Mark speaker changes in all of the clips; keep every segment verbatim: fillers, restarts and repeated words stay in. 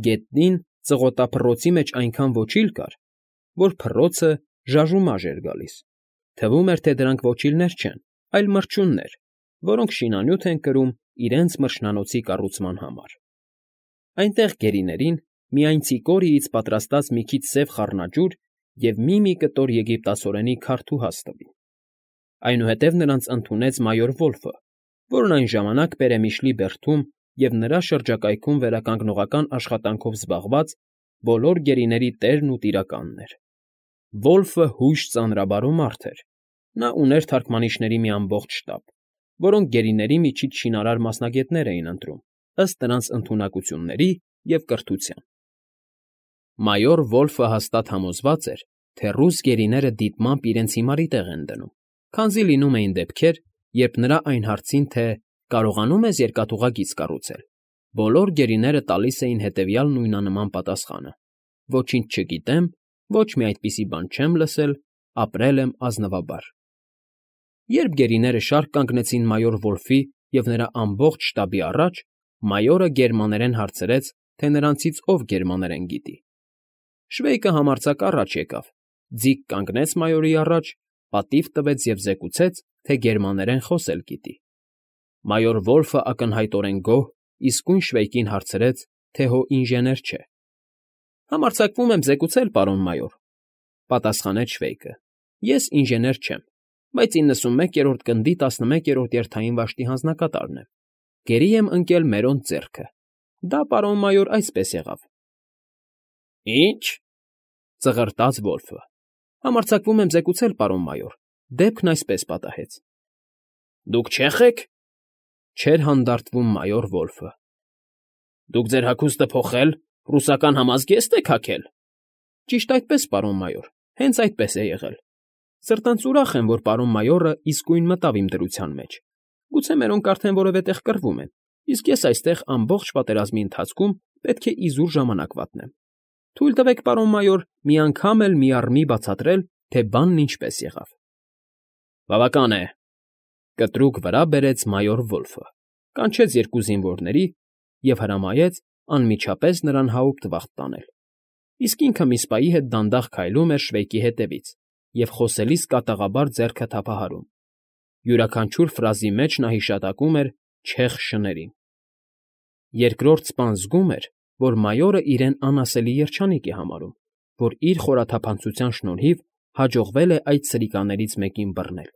Speaker 1: Գետնին ծղոտափռոցի մեջ այնքան ոչիլ կար, որ փռոցը ժաժումաժ էր գալիս, թվում էր, թե դրանք ոչիլներ չեն, այլ մրջյուններ, որոնք շինանյութ են կրում իրենց մրջնանոցի կառուցման համար. այնտեղ գերիներին միայն ցիկորիից պատրաստած մի քիչ սև խառնաջուր և մի֊մի կտոր եգիպտացորենի քարդուհաս տվին. այնուհետև նրանց ընդունեց մայոր Վոլֆը, որն այն ժամանակ Պերեմիշլի բերդում և նրա շրջակայքում վերականգնողական աշխատանքով զբաղված բոլոր գերիների տերն ու տիրականն էր. Վոլֆը հույժ ծանրաբարո մարդ էր. նա ուներ թարգմանիչների մի ամբողջ շտաբ, որոնք գերիների միջից շինարար մասնագետներ էին ընտրում, ըստ նրանց ընդունակությունների և կրթության։ Մայոր Վոլֆը հաստատ համոզված էր, թե ռուս գերիները դիտմամբ իրենց հիմարի տեղ են դնում, քանզի լինում էին դեպքեր, երբ նրա այն հարցին, թե կարողանո՞ւմ ես երկաթուղագիծ կառուցել, բոլոր գերիները տալիս էին հետևյալ նույնանման պատասխանը. ոչինչ չգիտեմ, ոչ մի այդպիսի բան չեմ լսել, ապրել եմ ազնվաբար։ Երբ գերիները շարք կանգնեցին մայոր Վոլֆի և նրա ամբողջ շտաբի առաջ, մայորը գերմաներեն հարցրեց, թե նրանցից ով գերմաներեն գիտի։ Շվեյկը համարձակ առաջ եկավ, ձիգ կանգնեց մայորի առաջ, պատիվ տվեց և զեկուցեց, թե գերմաներեն խոսել գիտի։ Մայոր Վոլֆը ակնհայտորեն գոհ իսկույն Շվեյկին հարցրեց, թե հո ինժեներ չէ։ Համարձակվում եմ զեկուցել, պարոն մայոր, պատասխանեց Շվեյկը. ես ինժեներ չեմ, բայց իննսունմեկերորդ գնդի տասնմեկերորդ երթային վաշտի հանձնակատարն եմ, գերի եմ ընկել մերոնց ձեռքը, դա, պարոն մայոր, այսպես եղավ։ Ի՞նչ,֊ ծղրտաց Վոլֆը։ Համարձակվում եմ զեկուցել, պարոն մայոր, դեպքն այսպես պատահեց։ Դուք չե՞խ եք,֊ չէր հանդարտվում մայոր Վոլֆը։ Դուք ձեր հագուստը փոխել, ռուսական համազգե՞ստ եք հագել։ Ճիշտ այդպես, պարոն մայոր, հենց այդպես է եղել։ Սրտանց ուրախ եմ, որ պարոն մայորը իսկույն մտավ իմ դրության մեջ։ Գուցե մերոնք արդեն որևէ տեղ կռվում են, իսկ ես այստեղ ամբողջ պատերազմի ընթացքում պետք է իզուր ժամանակ վատնեմ։ Թույլ տվեք, պարոն մայոր, մի անգամ էլ մի առ մի բացատրել, թե բանն ինչպես եղավ։ Բավական է,֊ կտրուկ վրա բերեց մայոր Վոլֆը, կանչեց երկու զինվորների և հրամայեց անմիջապես նրան հաուպտվախտ տանել, իսկ ինքը միսպայի հետ դանդաղ քայլում էր Շվեյկի հետևից և խոսելիս կատաղաբար ձեռքը թափահարում. յուրաքանչյուր ֆրազի մեջ նա հիշատակում էր չեխ շներին։ Երկրորդ սպան զգում էր, որ մայորը իրեն անասելի երջանիկ է համարում, որ իր խորաթափանցության շնորհիվ հաջողվել է այդ սրիկաներից մեկին բռնել։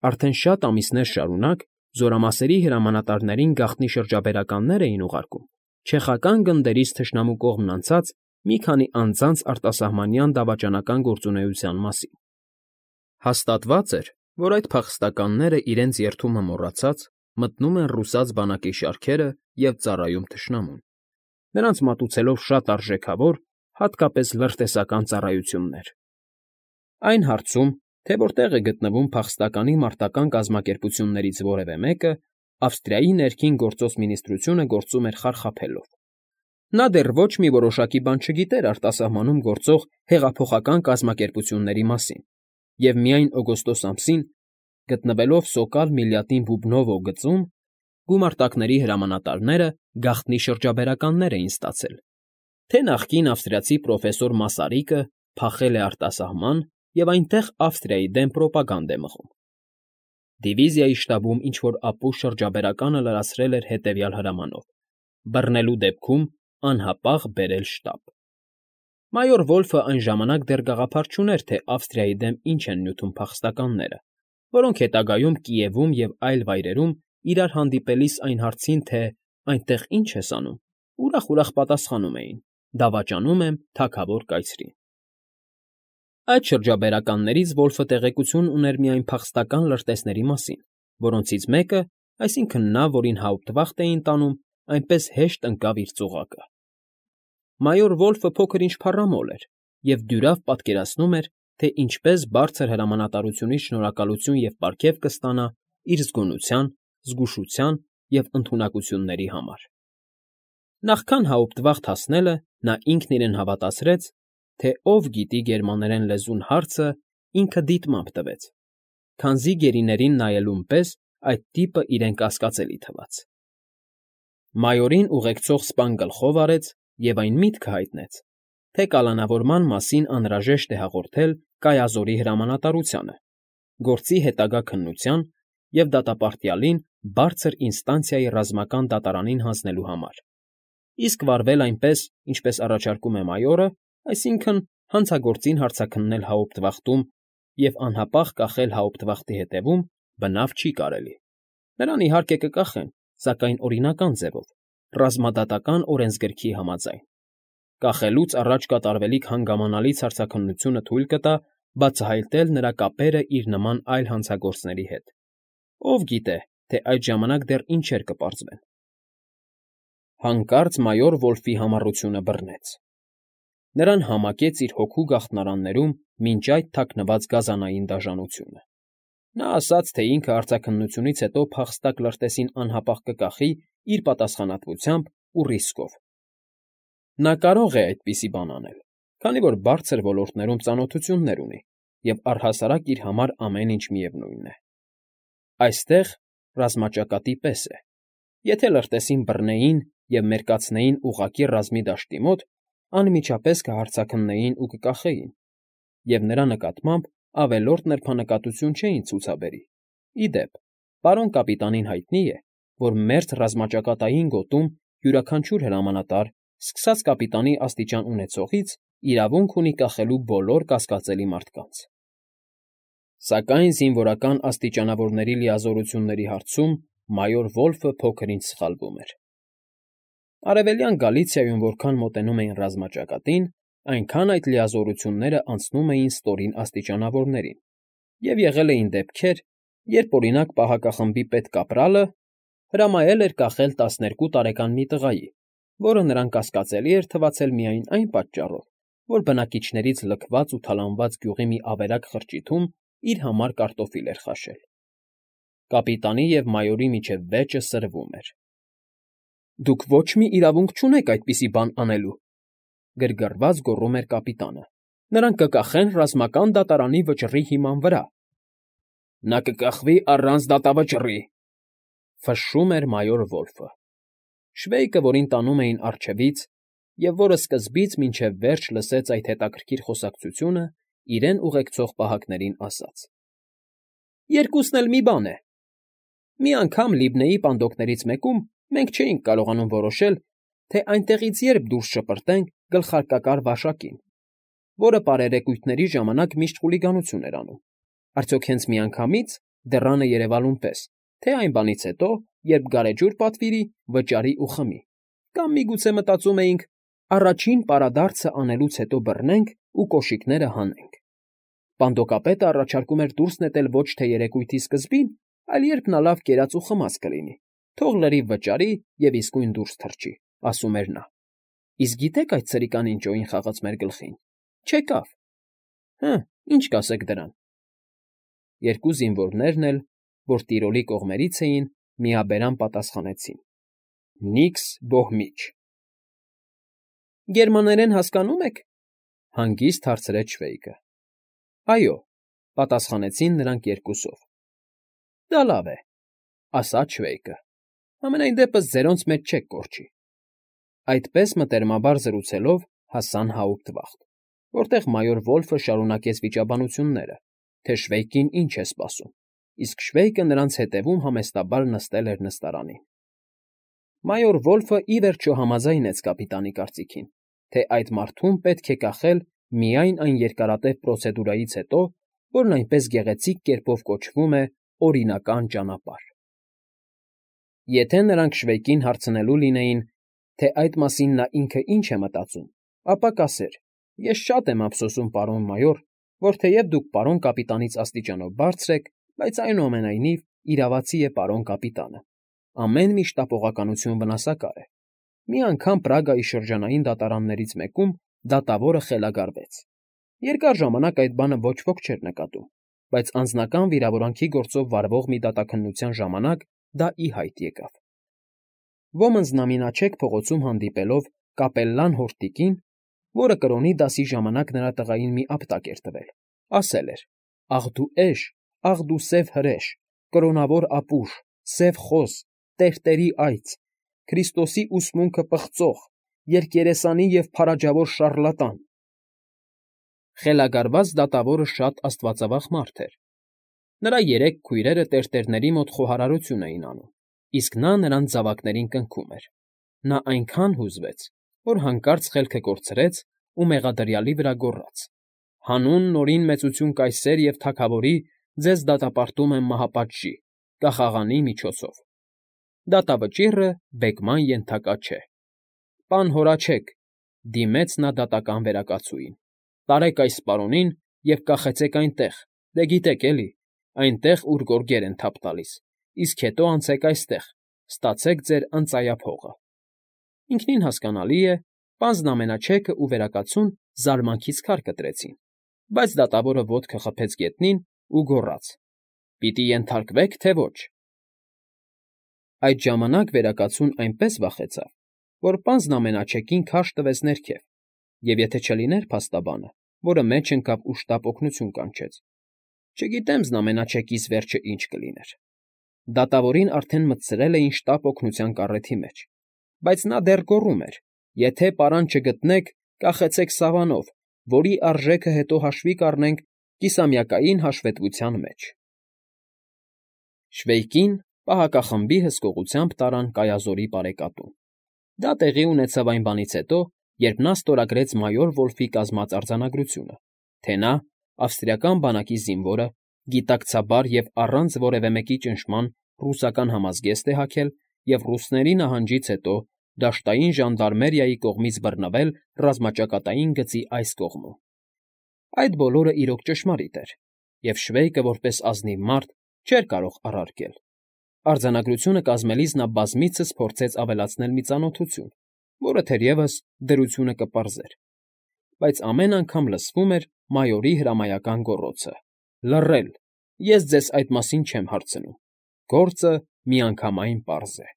Speaker 1: Արդեն շատ ամիսներ շարունակ զորամասերի հրամանատարներին գաղտնի շրջաբերականներ էին ուղարկում չեխական գնդերից թշնամու կողմն անցած մի քանի անձանց արտասահմանյան դավաճանական գործունեության մասին։ Հաստատված էր, որ այդ փախստականները իրենց երդումը մոռացած մտնում են ռուսաց բանակի շարքերը և ծառայում թշնամուն, նրանց մատուցելով շատ արժեքավոր, հատկապես լրտեսական ծառայություններ։ Այն հարցում, թե որտեղ է գտնվում փախստականի մարտական կազմակերպություններից որևէ մեկը, Ավստրիայի ներքին գործոս մինիստրությունը գործում էր խարխափելով։ Նա դեռ ոչ մի որոշակի բան չգիտեր արտասահմանում գործող հեղափոխական կազմակերպությունների մասին և միայն օգոստոս ամսին, գտնվելով Սոկալ Միլյատին Բուբնովո գծում, գումարտակների հրամանատարները գաղտնի շրջաբերականներ էին ստացել, թե նախկին ավստրիացի պրոֆեսոր Մասարիկը փախել է արտասահման և այնտեղ Ավստրիայի դեմ պրոպագանդ է մղում։ Դիվիզիայի շտաբում ինչ֊որ ապուշ շրջաբերականը լրացրել էր հետևյալ հրամանով. բռնելու դեպքում անհապաղ բերել շտաբ։ Մայոր Վոլֆը այն ժամանակ դեռ գաղափար չուներ, թե Ավստրիայի դեմ ինչ են նյութում փախստականները, որոնք հետագայում Կիևում և այլ վայրերում իրար հանդիպելիս այն հարցին, թե այնտեղ ինչ ես անում, ուրախ֊ուրախ պատասխանում էին. դավաճանում եմ թագավոր կայծրին։ Այդ շրջաբերականներից Վոլֆը տեղեկություն ուներ միայն փախստական լրտեսների մասին, որոնցից մեկը, այսինքն նա, որին հաուպտվախտ էին տանում, այնպես հեշտ ընկավ իր ծուղակը։ Մայոր Վոլֆը փոքր-ինչ փառամոլ էր և դյուրավ պատկերացնում էր, թե ինչպես բարձր հրամանատարությունից շնորհակալություն և պարգև կստանա իր զգոնության, զգուշության և ընդունակությունների համար։ Նախքան հաուպտվախտ հասնելը նա ինքն իրեն հավատացրեց, թե ով գիտի գերմաներեն լեզուն հարցը ինքը դիտմամբ տվեց, քանզի գերիներին նայելուն պես այդ տիպը իրեն կասկածելի թվաց։ Մայորին ուղեկցող սպան գլխով արեց և այն միտքը հայտնեց, թե կալանավորման մասին անհրաժեշտ է հաղորդել կայազորի հրամանատարությանը, գործի հետագա քննության և դատապարտյալին բարձր ինստանցիայի ռազմական դատարանին հանձնելու համար, իսկ վարվել այնպես, ինչպես առաջարկում է մայորը, այսինքն՝ հանցագործին հարձաքննել հաուպտվախտում և անհապաղ կախել հաուպտվախտի հետևում, բնավ չի կարելի. նրան, իհարկե, կկախեն, սակայն օրինական ձևով, ռազմադատական օրենսգրքի համաձայն. կախելուց առաջ կատարվելիք հանգամանալից հարցաքննությունը թույլ կտա բացահայտել նրա կապերը իր նման այլ հանցագործների հետ. ով գիտե, թե այդ ժամանակ դեռ ինչեր կպարզվեն… Հանկարծ մայոր Վոլֆի համառությունը բռնեց. նրան համակեց իր հոգու գաղտնարաններում մինչ այդ թաքնված գազանային դաժանությունը. նա ասաց, թե ինքը հարցաքննությունից հետո փախստակ լրտեսին անհապաղ կկախի իր պատասխանատվությամբ ու ռիսկով. նա կարող է այդպիսի բան անել, քանի որ բարձր ոլորտներում ծանոթություններ ունի և առհասարակ իր համար ամեն ինչ միևնույն է. այստեղ ռազմաճակատի պես է. եթե լրտեսին բռնեին և մերկացնեին ուղղակի ռազմի դաշտի մոտ, անմիջապես կհարձաքննեին ու կկախեին, և նրա նկատմամբ ավելորդ նրբանկատություն չէին ցուցաբերի. ի դեպ, պարոն կապիտանին հայտնի է, որ մերթ ռազմաճակատային գոտում յուրաքանչյուր հրամանատար, սկսած կապիտանի աստիճան ունեցողից, իրավունք ունի կախելու բոլոր կասկածելի մարդկանց։ Սակայն զինվորական աստիճանավորների լիազորությունների հարցում մայոր Վոլֆը փոքր-ինչ սխալվում էր. Արևելյան Գալիցիայում որքան մոտենում էին ռազմաճակատին, այնքան այդ լիազորությունները անցնում էին ստորին աստիճանավորներին, և եղել էին դեպքեր, երբ, օրինակ, պահակախմբի պետկապրալը հրամայել էր կախել տասներկու տարեկան մի տղայի, որը նրան կասկածելի էր թվացել միայն այն պատճառով, որ բնակիչներից լքված ու թալանված գյուղի մի ավերակ խրճիթում իր համար կարտոֆիլ էր խաշել։ Կապիտանի և մայորի միջև վեճը սրվում էր։ «Դուք ոչ մի իրավունք չունեք այդպիսի բան անելու,֊ գրգռված գոռում էր կապիտանը,֊ նրան կկախեն ռազմական դատարանի վճռի հիման վրա»։ «Նա կկախվի առանց դատավճռի,֊ ֆշշում էր մայոր Վոլֆը։ Շվեյկը, որին տանում էին առջևից և որը սկզբից մինչև վերջ լսեց այդ հետաքրքիր խոսակցությունը, իրեն ուղեկցող պահակներին ասաց. «Երկուսն էլ մի բան է. մի անգամ Լիբնեի պանդոկներից մեկում մենք չէինք կարողանում որոշել, թե այնտեղից երբ դուրս շպրտենք գլխարկակար վաշակին, որը պարերեկույթների ժամանակ միշտ խուլիգանություն էր անում, արդյոք հենց միանգամից, դռանը երևալուն պես, թե այն բանից հետո, երբ գարեջուր պատվիրի, վճարի ու խմի, կամ միգուցե մտածում էինք. առաջին պարադարձը անելուց հետո բռնենք ու կոշիկները հանենք։ Պանդոկապետը առաջարկում էր դուրս նետել ոչ թե երեկույթի սկզբին, այլ երբ նա լավ կերած ու խմած կլինի, թող լրիվ վճարի և իսկույն դուրս թռչի, ասում էր նա։ Իսկ գիտեք այդ ցրիկանին ջոին խաղաց մեր գլխին։ Չեկավ։ Հը, ինչ կասեք դրան։ Երկու զինվորներն էլ, որ Տիրոլի կողմերից էին, միաբերան պատասխանեցին. Նիքս Բոհմիչ։ Գերմաներեն հասկանո՞ւմ եք,֊ հանգիստ հարցրեց Շվեյկը։ Այո,֊ պատասխանեցին նրանք երկուսով։ Դա լավ է,֊ ասաց Շվեյկը։ Համենայն դեպս ձերոնց մեջ չեք կորչի։ Այդպես մտերմաբար զրուցելով հասան հաուպտվախտ, որտեղ մայոր Վոլֆը շարունակեց վիճաբանությունները, թե Շվեյկին ինչ է սպասում, իսկ Շվեյկը նրանց հետևում համեստաբար նստել էր նստարանին։ Մայոր Վոլֆը ի վերջո համաձայնեց կապիտանի կարծիքին, թե այդ մարդուն պետք է կախել միայն այն երկարատև պրոցեդուրայից հետո, որն այնպես գեղեցիկ կերպով կոչվում է օրինական ճանապարհ։ Եթե նրանք Շվեյկին հարցնելու լինեին, թե այդ մասին նա ինքը ինչ է մտածում, ապա կասեր. Ես շատ եմ ափսոսում, պարոն մայոր, որ թեև դուք պարոն կապիտանից աստիճանով բարձր եք, բայց այնուամենայնիվ իրավացի է պարոն կապիտանը։ Ամեն մի շտապողականություն վնասակար է։ Մի անգամ Պրագայի շրջանային դատարաններից մեկում դատավորը խելագարվեց։ Երկար ժամանակ այդ բանը ոչ ոք չէր նկատում, բայց անձնական վիրավորանքի գործով վարվող մի դատաքննության ժամանակ դա ի հայտ եկավ։ Ոմանց նամինաչեք փողոցում հանդիպելով կապելլան հորտիկին, որը կրոնի դասի ժամանակ նրա տղային մի ապտակ էր տվել, ասել էր. «Աղ դու էշ, աղ դու սև հրեշ, կրոնավոր ապուշ, սև խոզ, տերտերի այծ, Քրիստոսի ուսմունքը պղծող, երկերեսանի և փարաջավոր շառլատան։ Խելագարված դատավորը շատ աստվածավախ մարդ էր։ Նրա երեք քույրերը տերտերների մոտ խոհարարություն էին անում, իսկ նա նրանց զավակներին կնքում էր։ Նա այնքան հուզվեց, որ հանկարծ խելքը կորցրեց ու մեղադրյալի վրա գոռաց. «Հանուն Նորին մեծություն կայսեր և թագավորի ձեզ դատապարտում եմ մահապատժի, կախաղանի միջոցով»։ Դատավճիռը բեկման ենթակա չէ։ «Պան հորաչեք,֊ դիմեց նա դատական վերակացուին,֊ տարեք այս պարոնին և կախեցեք այնտեղ, դե գիտեք էլի, այնտեղ, ուր գորգեր են թափ տալիս, իսկ հետո անցեք այստեղ, ստացեք ձեր ընծայափողը»։ Ինքնին հասկանալի է, պանծն ամենաչեքը ու վերակացուն զարմանքից քար կտրեցին, բայց դատավորը ոտքը խփեց գետնին ու գոռաց. «Պիտի ենթարկվե՞ք, թե ոչ»։ Այդ ժամանակ վերակացուն այնպես վախեցավ, որ պանծն ամենաչեկին քարշ տվեց ներքև, և եթե չլիներ փաստաբանը, որը մեջ ընկավ ու շտապ օգնություն կանչեց, չգիտեմ զնամենաչեկիս վերջը ինչ կլիներ։ Դատավորին արդեն մտցրել էին շտապ օգնության կառեթի մեջ, բայց նա դեռ գոռում էր. «Եթե պարան չգտնեք, կախեցեք սավանով, որի արժեքը հետո հաշվի կառնենք կիսամյակային հաշվետվության մեջ»։ Շվեյկին պահակախմբի հսկողությամբ տարան Կայազորի բարեկատուն։ Դա տեղի ունեցավ այն բանից հետո, երբ նա ստորագրեց մայոր Վոլֆի կազմած արձանագրությունը, թե նա, ավստրիական բանակի զինվորը, գիտակցաբար և առանց որևէ մեկի ճնշման ռուսական համազգեստ է հագել և ռուսների նահանջից հետո դաշտային ժանդարմերիայի կողմից բռնվել ռազմաճակատային գծի այս կողմում։ Այդ բոլորը իրոք ճշմարիտ էր, և Շվեյկը, որպես ազնիվ մարդ, չէր կարող առարկել։ Արձանագրությունը կազմելիս նա բազմիցս փորձեց ավելացնել մի ծանոթություն, որը թերևս դրությունը կպարզեր, բայց ամեն անգամ լսվում էր մայորի հրամայական գոռոցը. «Լռել, ես ձեզ այդ մասին չեմ հարցնում, գործը միանգամայն պարզ է»։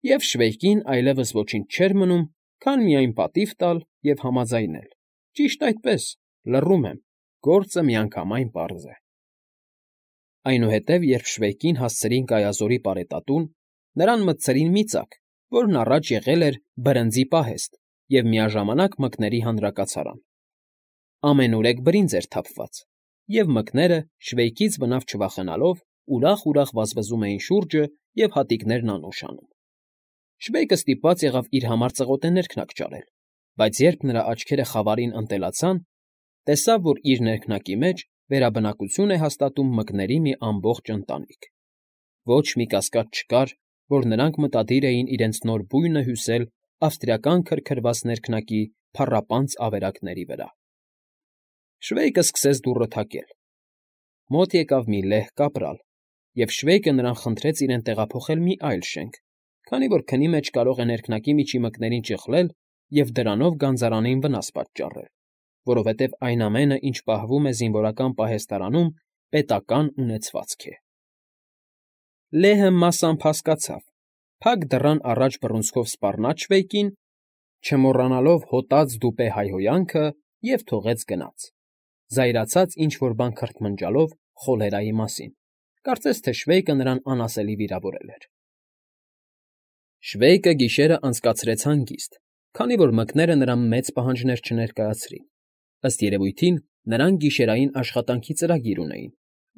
Speaker 1: Եվ Շվեյկին այլևս ոչինչ չէր մնում, քան միայն պատիվ տալ և համաձայնել. «Ճիշտ այդպես, լռում եմ, գործը միանգամայն պարզ է»։ Այնուհետև, երբ Շվեյկին հասցրին Կայազորի պարետատուն, նրան մտցրին մի ծակ, որն առաջ եղել էր բրնձի պահեստ և միաժամանակ մկների հանրակացարան։ Ամենուրեք բրինձ էր թափված, և մկները, Շվեյկից բնավ չվախենալով, ուրախ֊ուրախ վազվզում էին շուրջը և հատիկներն անուշ անում։ Շվեյկը ստիպված եղավ իր համար ծղոտե ներքնակ ճարել, բայց երբ նրա աչքերը խավարին ընտելացան, տեսավ, որ իր ներքնակի մեջ վերաբնակություն է հաստատում մկների մի ամբողջ ընտանիք։ Ոչ մի կասկած չկար, որ նրանք մտադիր էին իրենց նոր բույնը հյուսել ավստրիական քրքրված ներքնակի փառապանծ ավերակների վրա։ Շվեյկը սկսեց դուռը թակել։ Մոտ եկավ մի լեհ կապրալ, և Շվեյկը նրան խնդրեց իրեն տեղափոխել մի այլ շենք, քանի որ քնի մեջ կարող է ներքնակի միջի մկներին ճխլել և դրանով գանձարանին վնաս պատճառել, որովհետև այն ամենը, ինչ պահվում է զինվորական պահեստարանում, պետական ունեցվածք է։ Լեհը մասամբ հասկացավ, փակ դռան առաջ բռունցքով սպառնաց Շվեյկին, չմոռանալով հոտած դուպե հայհոյանքը, և թողեց գնաց, զայրացած ինչ֊որ բան քրթմնջալով խոլերայի մասին, կարծես թե Շվեյկը նրան անասելի վիրավորել էր։ Շվեյկը գիշերն անցկացրեց հանգիստ, քանի որ մկները նրան մեծ պահանջներ չներկայացրին։ Ըստ երևույթին, նրանք գիշերային աշխատանքի ծրագիր ունեին,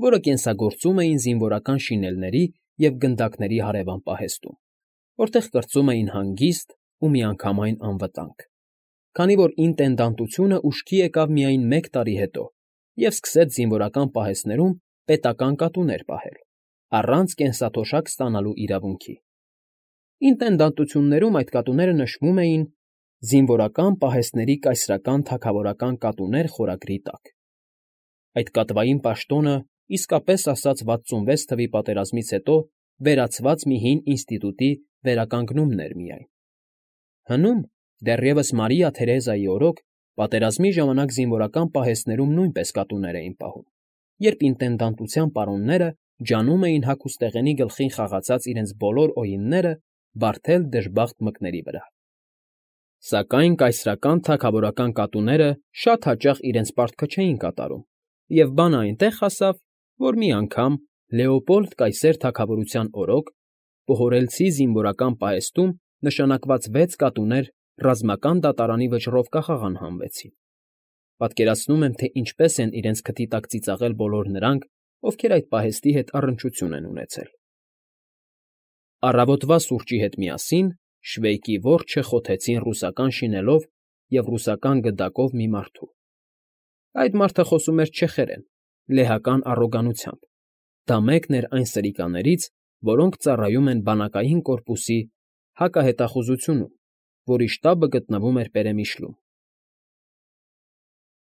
Speaker 1: որը կենսագործում էին զինվորական շինելների և գնդակների հարևան պահեստում, որտեղ կրծում էին հանգիստ ու միանգամայն անվտանգ, քանի որ ինտենդանտությունը ուշքի եկավ միայն մեկ տարի հետո և սկսեց զինվորական պահեստներում պետական կատուներ պահել, առանց կենսաթոշակ ստանալու իրավունքի։ Ինտենդանտություններում այդ կատուները նշվում էին «Զինվորական պահեստների կայսրական թագավորական կատուներ» խորագրի տակ։ Այդ կատվային պաշտոնը, իսկապես ասած վաթսունվեց թվականի պատերազմից հետո վերացված մի հին ինստիտուտի վերականգնումն էր միայն։ Հնում, դեռևս Մարիա Թերեզայի օրոք, պատերազմի ժամանակ զինվորական պահեստներում նույնպես կատուներ էին պահում, երբ ինտենդանտության պարոնները ջանում էին հագուստեղենի գլխին խաղացած իրենց բոլոր օինները բարդել դժբախտ մկների վրա։ Սակայն կայսրական թագավորական կատուները շատ հաճախ իրենց պարտքը չէին կատարում, և բանը այնտեղ հասավ, որ մի անգամ Լեոպոլդ կայսեր թագավորության օրոք պոհորելցի զինվորական պահեստում նշանակված վեց կատուներ ռազմական դատարանի վճռով կախաղան հանվեցին. պատկերացնում եմ, թե ինչպես են իրենց քթի տակ ծիծաղել բոլոր նրանք, ովքեր այդ պահեստի հետ առնչություն են ունեցել։ Առավոտվա սուրճի հետ միասին Շվեյկի որջը խոթեցին ռուսական շինելով և ռուսական գդակով մի մարդու։ Այդ մարդը խոսում էր չեխերեն, լեհական առոգանությամբ. դա մեկն էր այն սրիկաներից, որոնք ծառայում են բանակային կորպուսի հակահետախուզությունում, որի շտաբը գտնվում էր Պերեմիշլում։